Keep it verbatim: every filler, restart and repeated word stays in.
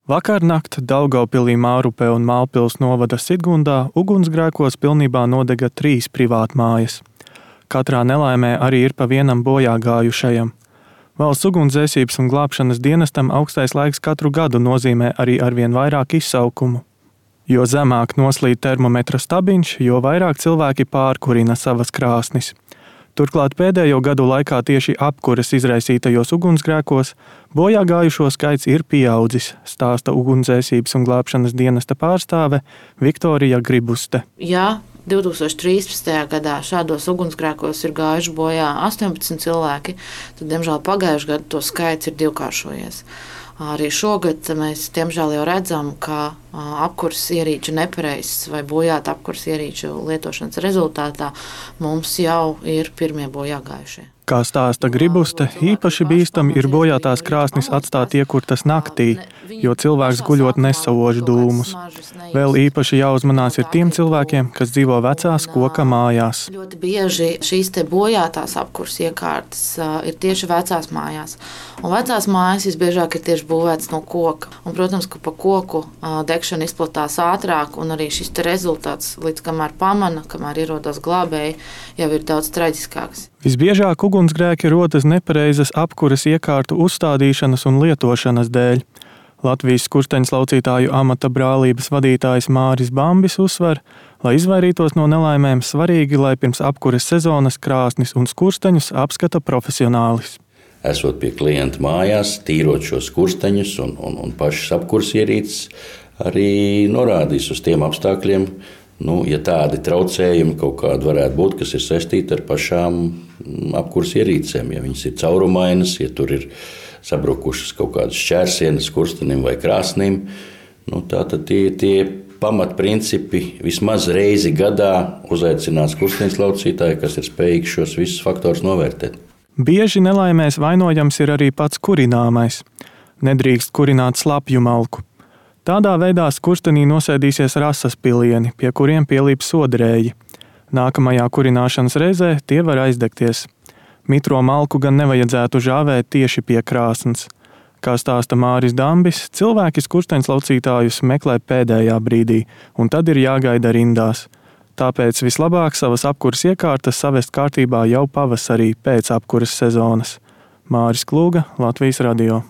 Vakarnakt Daugavpilī, Mārupē un Mālpils novada Sidgundā ugunsgrēkos pilnībā nodega trīs privātmājas. Katrā nelaimē arī ir pa vienam bojāgājušajam. Valsts ugunsdzēsības un glābšanas dienestam augstais laiks katru gadu nozīmē arī arvien vairāk izsaukumu. Jo zemāk noslīd termometra stabiņš, jo vairāk cilvēki pārkurina savas krāsnis. Turklāt pēdējo gadu laikā tieši apkures izraisītajos ugunsgrēkos bojāgājušo skaits ir pieaudzis, stāsta ugunsdzēsības un glābšanas dienesta pārstāve Viktorija Gribuste. Jā, divi tūkstoši trīspadsmitajā gadā šādos ugunsgrēkos ir gājuši bojā astoņpadsmit cilvēki, tad, diemžēl, pagājušajā gadā to skaits ir divkāršojies. Arī šogad mēs, diemžēl, jau redzam, ka apkures ierīču nepareizs vai bojāta apkures ierīču lietošanas rezultātā mums jau ir pirmie bojāgājušie. Kā stāsta Gribuste, īpaši bīstami ir bojātās krāsnis atstāt iekurtas naktī, jo cilvēks guļot nesauž dūmus. Vēl īpaši jāuzmanās ir tiem cilvēkiem, kas dzīvo vecās koka mājās. Ļoti bieži šīs te bojātās apkures iekārtas ir tieši vecās mājās. Un vecās mājas visbiežāk ir tieši būvētas no koka. Un, protams, ka pa koku degšana izplatās ātrāk, un arī šis te rezultāts, līdz kamēr pamana, kamēr ierodas glābēji, jau ir daudz traģiskāks. Visbiežāk ugunsgrēki rodas nepareizas apkures iekārtu uzstādīšanas un lietošanas dēļ. Latvijas skursteņslaucītāju amata brālības vadītājs Māris Bambis uzsver, lai izvairītos no nelaimēm, svarīgi, lai pirms apkures sezonas krāsnis un skursteņus apskata profesionālis. Esot pie klienta mājās, tīrot šos skursteņus un, un, un pašas apkures ierīces, arī norādīs uz tiem apstākļiem, nu, ja tādi traucējumi kaut kādi varētu būt, kas ir saistīti ar pašām apkures ierīcēm. Ja viņas ir caurumainas, ja tur ir sabrukušas kaut kādas šķērsienas skurstenim vai krāsnim, nu, tātad tie, tie pamatprincipi vismaz reizi gadā uzaicināt skursteņslaucītāju, kas ir spējīgi šos visus faktorus novērtēt. Bieži nelaimēs vainojams ir arī pats kurināmais. Nedrīkst kurināt slapju malku. Tādā veidā skurstenī nosēdīsies rasas pilieni, pie kuriem pielīp sodrēji. Nākamajā kurināšanas reizē tie var aizdegties. Mitro malku gan nevajadzētu žāvēt tieši pie krāsnes. Kā stāsta Māris Dambis, cilvēki skursteņslaucītājus meklē pēdējā brīdī, un tad ir jāgaida rindās. Tāpēc vislabāk savas apkures iekārtas savest kārtībā jau pavasarī pēc apkures sezonas. Māris Klūga, Latvijas radio.